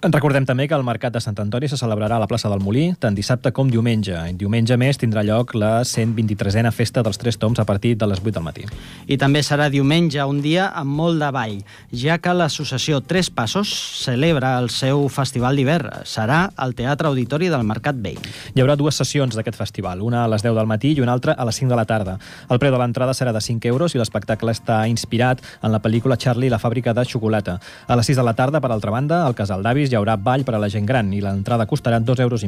Recordem també que el Mercat de Sant Antoni se celebrarà a la plaça del Molí tant dissabte com diumenge. Diumenge més tindrà lloc la 123a Festa dels Tres Toms a partir de les 8 del matí. I també serà diumenge, un dia amb molt de ball, ja que l'associació Tres Passos celebra el seu festival d'hivern. Serà al Teatre Auditori del Mercat Vell. Hi haurà 2 sessions d'aquest festival, una a les 10 del matí i una altra a les 5 de la tarda. El preu de l'entrada serà de 5 euros i l'espectacle està inspirat en la pel·lícula Charlie i la fàbrica de xocolata. A les 6 de la tarda, per altra banda, al Casal d'Avis hi haurà ball per a la gent gran i l'entrada costarà 2,5 euros.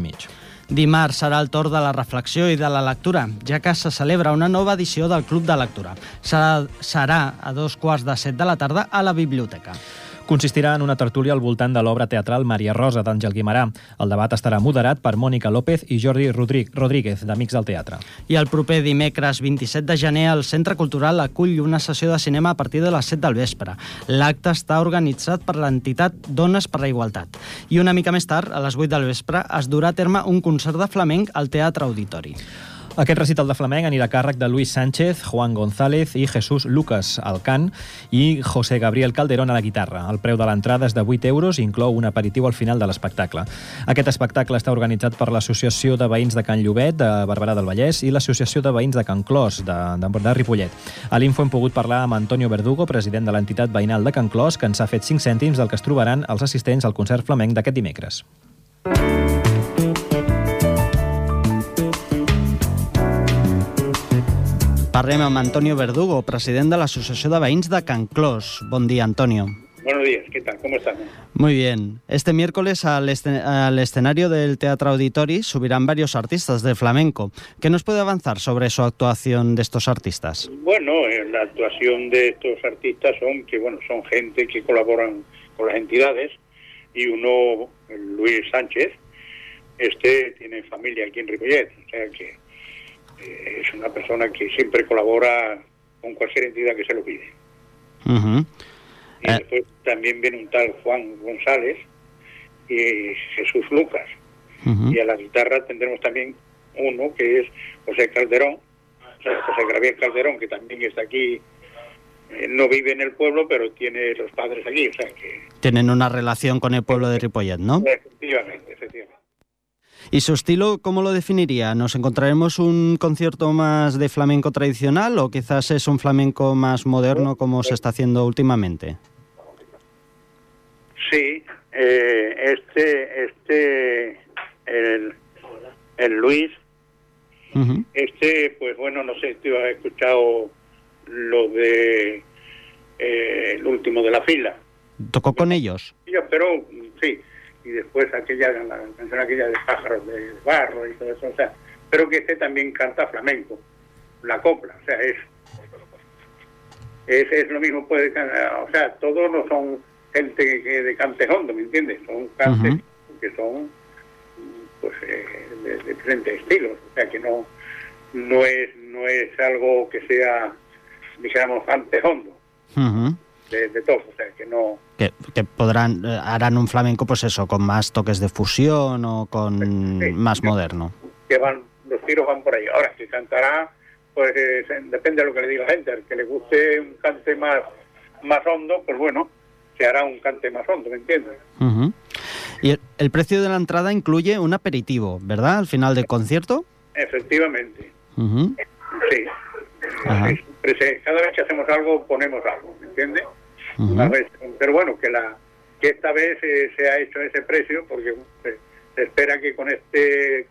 Dimarts serà el torn de la reflexió i de la lectura, ja que se celebra una nova edició del Club de Lectura. Serà a 2:15 de la tarda a la biblioteca. Consistirà en una tertúlia al voltant de l'obra teatral Maria Rosa d'Àngel Guimarà. El debat estarà moderat per Mònica López i Jordi Rodríguez, d'Amics del Teatre. I el proper dimecres 27 de gener el Centre Cultural acull una sessió de cinema a partir de les 7 del vespre. L'acte està organitzat per l'entitat Dones per la Igualtat. I una mica més tard, a les 8 del vespre, es durà a terme un concert de flamenc al Teatre Auditori. Aquest recital de flamenc anirà a càrrec de Luis Sánchez, Juan González i Jesús Lucas al cant i José Gabriel Calderón a la guitarra. El preu de l'entrada és de 8 euros i inclou un aperitiu al final de l'espectacle. Aquest espectacle està organitzat per l'Associació de Veïns de Can Llobet, de Barberà del Vallès, i l'Associació de Veïns de Can Clos, de Ripollet. A l'Info hem pogut parlar amb Antonio Verdugo, president de l'entitat veïnal de Can Clos, que ens ha fet 5 cèntims del que es trobaran els assistents al concert flamenc d'aquest dimecres. Parlem amb Antonio Verdugo, president de l'Associació de Veïns de Can Clos. Bon dia, Antonio. Buenos días, ¿qué tal? ¿Cómo están? Muy bien. Este miércoles al escenario del Teatro Auditori subirán varios artistas de flamenco. ¿Qué nos puede avanzar sobre su actuación de estos artistas? Bueno, la actuación de estos artistas son gente que colaboran con las entidades, y uno, Luis Sánchez, tiene familia aquí en Ripollet, o sea que es una persona que siempre colabora con cualquier entidad que se lo pide. Uh-huh. Y después también viene un tal Juan González y Jesús Lucas. Uh-huh. Y a la guitarra tendremos también uno que es José Calderón, José Gabriel Calderón, que también está aquí. No vive en el pueblo, pero tiene los padres aquí, o sea que... Tienen una relación con el pueblo de Ripollet, ¿no? Efectivamente. ¿Y su estilo cómo lo definiría? ¿Nos encontraremos un concierto más de flamenco tradicional o quizás es un flamenco más moderno como se está haciendo últimamente? Sí, el Luis, uh-huh. Pues bueno, no sé, tú has escuchado lo de el último de la fila. ¿Tocó con ellos? Pero sí, y después la canción aquella de Pájaros de Barro y todo eso, o sea, pero que también canta flamenco, la copla, o sea, es lo mismo, puede cantar, o sea, todos no son gente de cante hondo, ¿me entiendes? Son cantes uh-huh. que son pues de diferentes estilos, o sea que no es algo que sea, dijéramos, cante hondo. Uh-huh. De todo, o sea, que no... Que harán un flamenco, pues eso, con más toques de fusión o con más moderno. Que los tiros van por ahí. Ahora, si cantará, pues depende de lo que le diga la gente. Al que le guste un cante más hondo, pues bueno, se hará un cante más hondo, ¿me entiendes? Uh-huh. Y el precio de la entrada incluye un aperitivo, ¿verdad? Al final del concierto. Efectivamente. Uh-huh. Sí. Uh-huh. Cada vez que hacemos algo, ponemos algo, ¿me entiendes? Uh-huh. Una vez, pero bueno, que esta vez se ha hecho ese precio porque se espera que con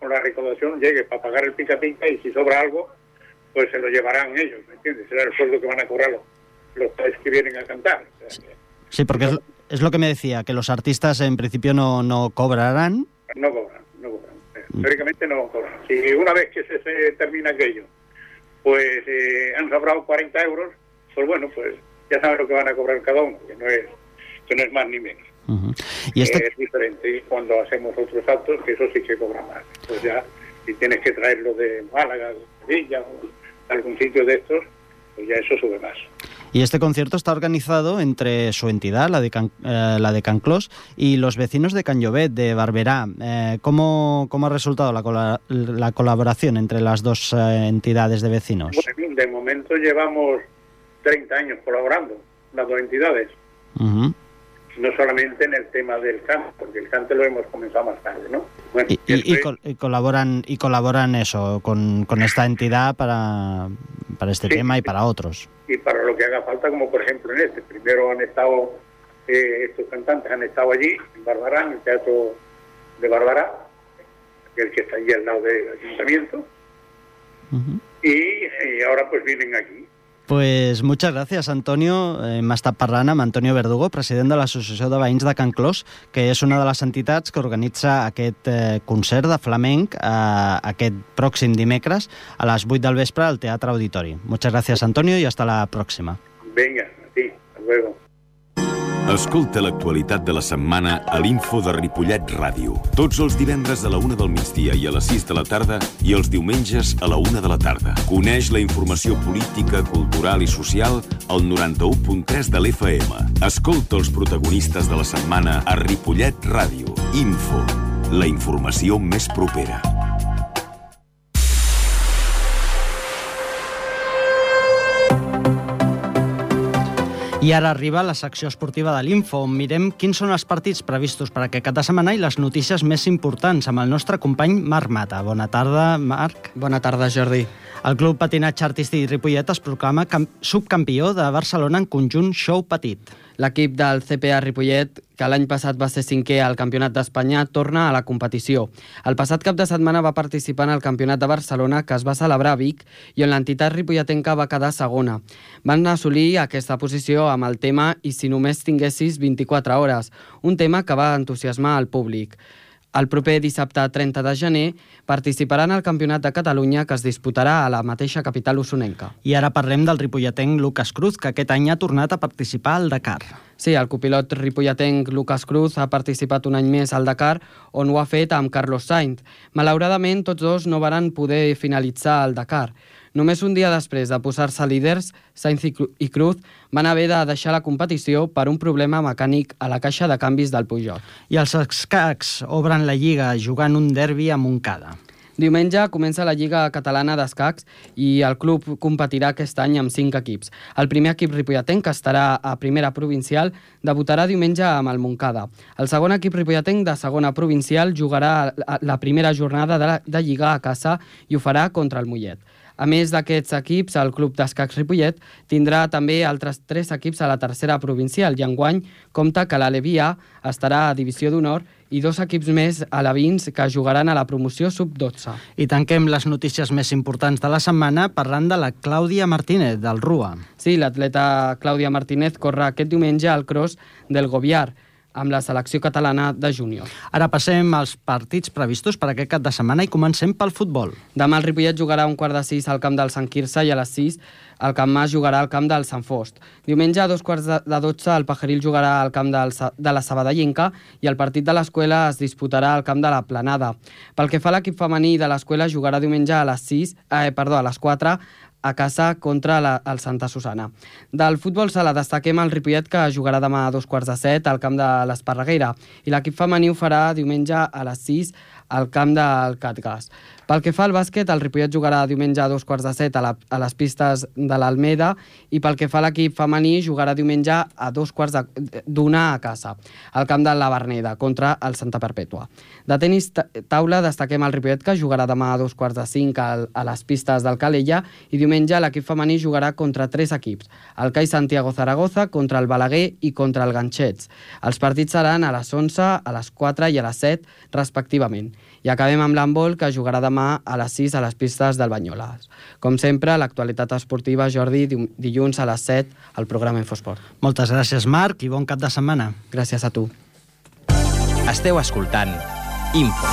la recaudación llegue para pagar el pica y si sobra algo, pues se lo llevarán ellos, ¿me entiendes? Será el sueldo que van a cobrar los tres que vienen a cantar. O sea, sí, porque es lo que me decía, que los artistas en principio no cobrarán. No cobran. Teóricamente no cobran. Si una vez que se termina aquello, pues han sobrado 40 euros, pues bueno, pues ya saben lo que van a cobrar cada uno, que no es más ni menos. Uh-huh. ¿Y es diferente. Y cuando hacemos otros actos, que eso sí que cobra más. Pues ya, si tienes que traerlo de Málaga, de Sevilla o algún sitio de estos, pues ya eso sube más. Y este concierto está organizado entre su entidad, la de Can Clos, y los vecinos de Can Llobet, de Barberà. ¿Cómo ha resultado la colaboración entre las dos entidades de vecinos? Bueno, de momento llevamos 30 años colaborando, las dos entidades. Uh-huh. No solamente en el tema del cante, porque el cante lo hemos comenzado más tarde, ¿no? Bueno, y colaboran eso con esta entidad para este tema y para otros. Y para lo que haga falta, como por ejemplo en primero han estado estos cantantes han estado allí en Barberà, en el Teatro de Barberà, el que está allí al lado del ayuntamiento. Uh-huh. Y ahora pues vienen aquí. Pues muchas gràcies, Antonio. Hem estat parlant amb Antonio Verdugo, president de l'Associació de Veïns de Can Clos, que és una de les entitats que organitza aquest concert de flamenc aquest pròxim dimecres a les 8 del vespre al Teatre Auditori. Muchas gracias, Antonio, y hasta la próxima. Venga, a ti, hasta luego. Escolta l'actualitat de la setmana a l'Info de Ripollet Ràdio. Tots els divendres a la 1 del migdia i a les 6 de la tarda i els diumenges a la 1 de la tarda. Coneix la informació política, cultural i social al 91.3 de l'FM. Escolta els protagonistes de la setmana a Ripollet Ràdio. Info, la informació més propera. I ara arriba la secció esportiva de l'Info, on mirem quins són els partits previstos per aquest cap de setmana i les notícies més importants amb el nostre company Marc Mata. Bona tarda, Marc. Bona tarda, Jordi. El Club Patinatge Artístic Ripollet es proclama subcampió de Barcelona en conjunt show petit. L'equip del CPA Ripollet, que l'any passat va ser 5è al Campionat d'Espanya, torna a la competició. El passat cap de setmana va participar en el Campionat de Barcelona, que es va celebrar a Vic, i on l'entitat ripolletenca va quedar segona. Van assolir aquesta posició amb el tema "I si només tinguessis 24 hores", un tema que va entusiasmar al públic. El proper dissabte 30 de gener participaran al Campionat de Catalunya, que es disputarà a la mateixa capital usonenca. I ara parlem del ripolletenc Lucas Cruz, que aquest any ha tornat a participar al Dakar. Sí, el copilot ripolletenc Lucas Cruz ha participat un any més al Dakar, on ho ha fet amb Carlos Sainz. Malauradament, tots dos no varen poder finalitzar el Dakar. Només un dia després de posar-se líders, Sainz i Cruz van haver de deixar la competició per un problema mecànic a la caixa de canvis del Peugeot. I els escacs obren la Lliga jugant un derbi a Montcada. Diumenge comença la Lliga Catalana d'Escacs i el club competirà aquest any amb 5 equips. El primer equip ripolletenc, que estarà a primera provincial, debutarà diumenge amb el Montcada. El segon equip ripolletenc de segona provincial jugarà la primera jornada de Lliga a casa i ho farà contra el Mollet. A més d'aquests equips, el Club d'Escacs Ripollet tindrà també altres 3 equips a la tercera provincial i enguany compta que l'Aleví A estarà a Divisió d'Honor i 2 equips més alevins que jugaran a la promoció sub-12. I tanquem les notícies més importants de la setmana parlant de la Clàudia Martínez, del RUA. Sí, l'atleta Clàudia Martínez corre aquest diumenge al cross del Goviar, amb la selecció catalana de júnior. Ara passem als partits previstos per aquest cap de setmana i comencem pel futbol. Demà el Ripollet jugarà a 5:45 al camp del Sant Quirze i a les 6 el Camp Mas jugarà al camp del Sant Fost. Diumenge a 2:15 el Pajaril jugarà al camp de la Sabadellenca i el partit de l'Escuela es disputarà al camp de la Planada. Pel que fa a l'equip femení de l'Escuela, jugarà diumenge a les 4 a casa contra el Santa Susana. Del futbol sala destaquem el Ripollet, que jugarà demà a 2:15 al camp de l'Esparreguera, i l'equip femení ho farà diumenge a les 6 al camp del Catgas. Pel que fa al bàsquet, el Ripollet jugarà diumenge a 2:15 a les pistes de l'Almeda i pel que fa a l'equip femení jugarà diumenge a 2:15 a casa, al camp de la Verneda, contra el Santa Perpètua. De tenis taula destaquem el Ripollet, que jugarà demà a 2:45 a les pistes del Calella i diumenge l'equip femení jugarà contra 3 equips, el CAI Santiago Zaragoza, contra el Balaguer i contra el Ganxets. Els partits seran a les 11, a les 4 i a les 7, respectivament. I acabem amb l'handbol, que jugarà demà a les 6 a les pistes del Banyoles. Com sempre, l'actualitat esportiva, Jordi, dilluns a les 7 al programa Infosport. Moltes gràcies, Marc, i bon cap de setmana. Gràcies a tu. Esteu escoltant Info.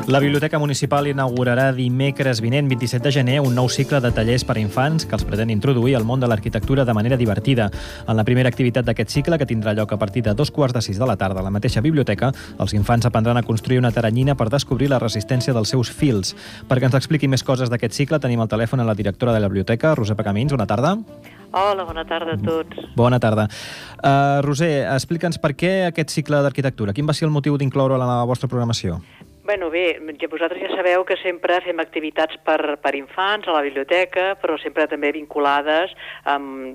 La Biblioteca Municipal inaugurarà dimecres vinent, 27 de gener, un nou cicle de tallers per a infants que els pretén introduir al món de l'arquitectura de manera divertida. En la primera activitat d'aquest cicle, que tindrà lloc a partir de 5:15 de la tarda a la mateixa biblioteca, els infants aprendran a construir una teranyina per descobrir la resistència dels seus fils. Perquè ens expliqui més coses d'aquest cicle, tenim al telèfon a la directora de la biblioteca, Roser Pacamins. Bona tarda. Hola, bona tarda a tots. Bona tarda. Roser, explica'ns per què aquest cicle d'arquitectura. Quin va ser el motiu d'incloure-ho a la vostra programació? Bueno, bé, vosaltres ja sabeu que sempre fem activitats per infants a la biblioteca, però sempre també vinculades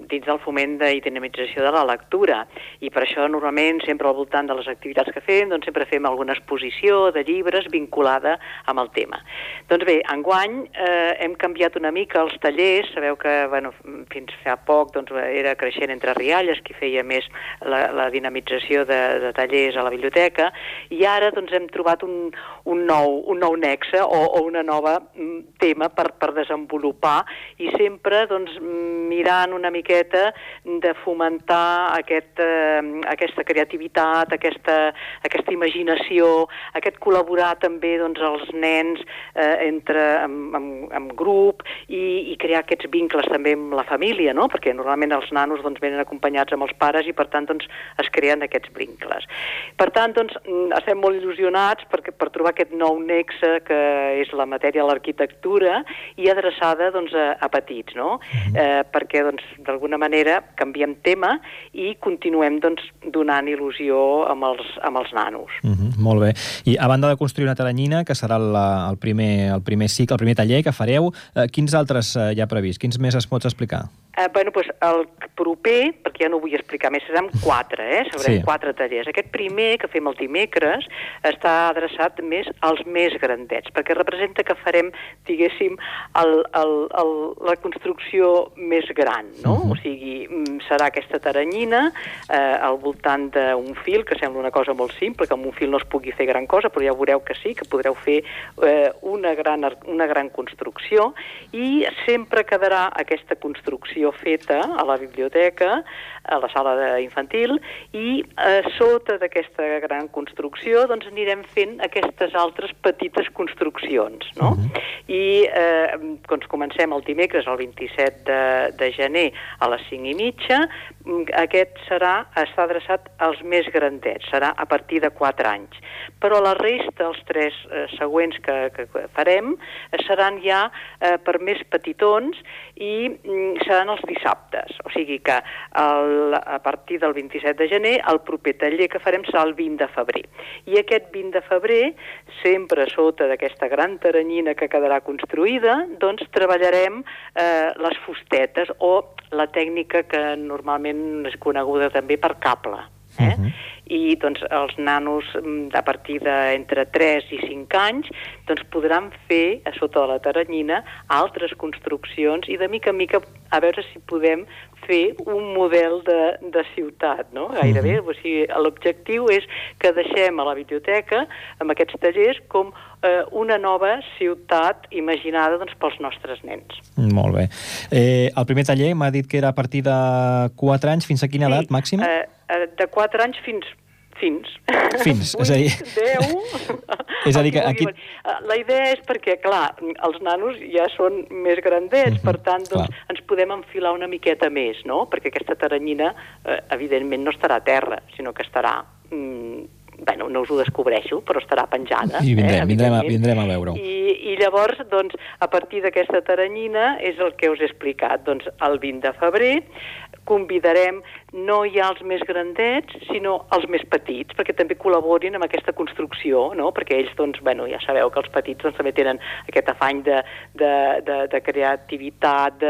dins del foment i dinamització de la lectura. I per això, normalment, sempre al voltant de les activitats que fem, doncs sempre fem alguna exposició de llibres vinculada amb el tema. Doncs bé, enguany hem canviat una mica els tallers. Sabeu que fins fa poc era Creixent entre Rialles qui feia més la dinamització de tallers a la biblioteca, i ara hem trobat un nou nexe o una nova tema per desenvolupar, i sempre mirant una miqueta de fomentar aquesta creativitat, aquesta imaginació, aquest col·laborar també els nens en grup i crear aquests vincles també amb la família, no? Perquè normalment els nanos venen acompanyats amb els pares i per tant es creen aquests vincles. Per tant, estem molt il·lusionats per trobar aquest nou nexe que és la matèria de l'arquitectura i adreçada a petits, no? Perquè d'alguna manera canviem tema i continuem donant il·lusió amb els nanos. Molt bé. I a banda de construir una teranyina, que serà el primer cicle, el primer taller que fareu, quins altres hi ha previst? Quins més es pots explicar? El proper, perquè ja no ho vull explicar més, seran 4, seran 4 tallers. Aquest primer, que fem el dimecres, està adreçat més als més grandets, perquè representa que farem, diguéssim, la construcció més gran, no? O sigui, serà aquesta taranyina al voltant d'un fil, que sembla una cosa molt simple, que amb un fil no es pugui fer gran cosa, però ja veureu que sí, que podreu fer una gran construcció, i sempre quedarà aquesta construcció feta a la biblioteca, a la sala infantil, i sota d'aquesta gran construcció doncs anirem fent aquestes altres petites construccions, no? I doncs comencem el dimecres, el 27 de gener, a les 5:30. Aquest està adreçat als més grandets, serà a partir de 4 anys. Però la resta, els 3 següents que farem, seran ja per més petitons i seran els dissabtes. O sigui que a partir del 27 de gener el proper taller que farem serà el 20 de febrer. I aquest 20 de febrer, sempre sota d'aquesta gran taranyina que quedarà construïda, doncs treballarem les fustetes o la tècnica que normalment és coneguda també per cable. I doncs els nanos a partir d'entre 3 i 5 anys doncs podran fer a sota de la taranyina altres construccions i de mica en mica a veure si podem fer un model de ciutat, no? Gairebé. O sigui, l'objectiu és que deixem a la biblioteca amb aquests tallers com una nova ciutat imaginada doncs, pels nostres nens. Molt bé. El primer taller m'ha dit que era a partir de 4 anys. Fins a quina edat màxima? De 4 anys fins, és a dir... 10... És a dir, que aquí... La idea és perquè, clar, els nanos ja són més grandets, per tant, doncs, ens podem enfilar una miqueta més, no? Perquè aquesta taranyina, evidentment, no estarà a terra, sinó que estarà... Bueno, no us ho descobreixo, però estarà penjada. I vindrem a veure-ho. I llavors, doncs, a partir d'aquesta taranyina és el que us he explicat. Doncs el 20 de febrer convidarem no ja els més grandets, sinó els més petits, perquè també col·laborin amb aquesta construcció, no? Perquè ells, doncs, bueno, ja sabeu que els petits doncs, també tenen aquest afany de creativitat,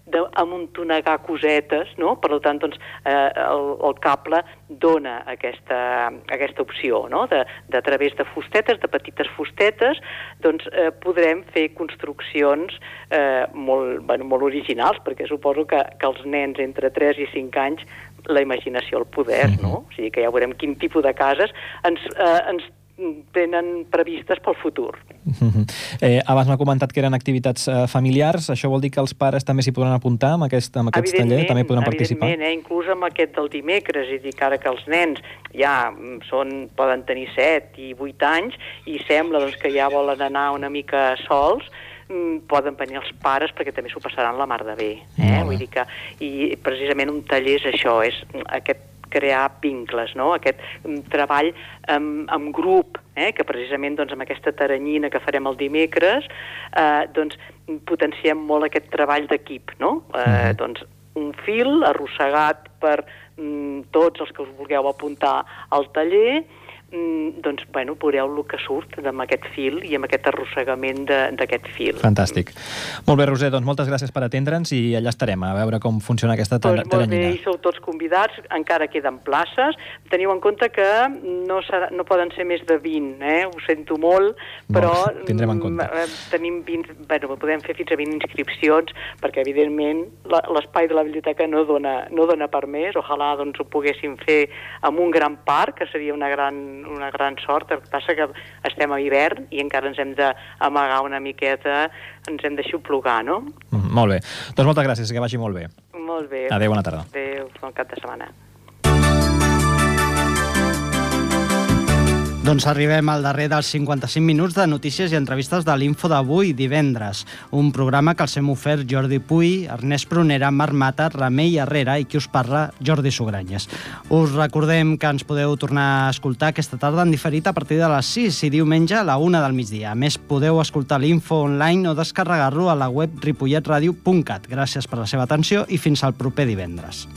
d'amuntonegar cosetes, no? Per tant, doncs, el cable dona aquesta opció, no? A través de fustetes, de petites fustetes, doncs podrem fer construccions molt originals, perquè suposo que els nens entre 3 i 5 anys la imaginació al poder, no? O sigui que ja veurem quin tipus de cases ens tenen previstes pel futur. Abans m'ha comentat que eren activitats familiars. Això vol dir que els pares també s'hi podran apuntar amb aquests tallers? També podran participar? Evidentment, inclús amb aquest del dimecres, és a dir, que ara que els nens ja poden tenir 7 i 8 anys i sembla doncs, que ja volen anar una mica sols, poden venir els pares perquè també s'ho passaran la mar de bé. Vull dir que, i precisament un taller és això, és aquest crear vincles, no? Aquest treball en grup, que precisament doncs, amb aquesta taranyina que farem el dimecres doncs, potenciem molt aquest treball d'equip, no? Doncs, un fil arrossegat per tots els que us vulgueu apuntar al taller, doncs, bueno, veureu el que surt amb aquest fil i amb aquest arrossegament d'aquest fil. Fantàstic. Molt bé, Roser, doncs moltes gràcies per atendre'ns i allà estarem a veure com funciona aquesta taranyina. Molt bé, i sou tots convidats, encara queden places. Teniu en compte que no poden ser més de 20, ho sento molt, però tindrem en compte. Tenim 20, bueno, podem fer fins a 20 inscripcions, perquè evidentment l'espai de la biblioteca no dona per més. Ojalà doncs, ho poguéssim fer amb un gran parc, que seria una gran sort. El que passa que estem a hivern i encara ens hem d'amagar una miqueta, ens hem d'aixoplugar, no? Molt bé. Doncs moltes gràcies, que vagi molt bé. Molt bé. Adéu, bona tarda. Adéu, bon cap de setmana. Doncs arribem al darrer dels 55 minuts de notícies i entrevistes de l'Info d'avui, divendres. Un programa que els hem ofert Jordi Puy, Ernest Prunera, Marc Mata, Remei Herrera i qui us parla, Jordi Sugranyes. Us recordem que ens podeu tornar a escoltar aquesta tarda en diferit a partir de les 6 i diumenge a la 1 del migdia. A més, podeu escoltar l'Info online o descarregar-lo a la web ripolletradio.cat. Gràcies per la seva atenció i fins al proper divendres.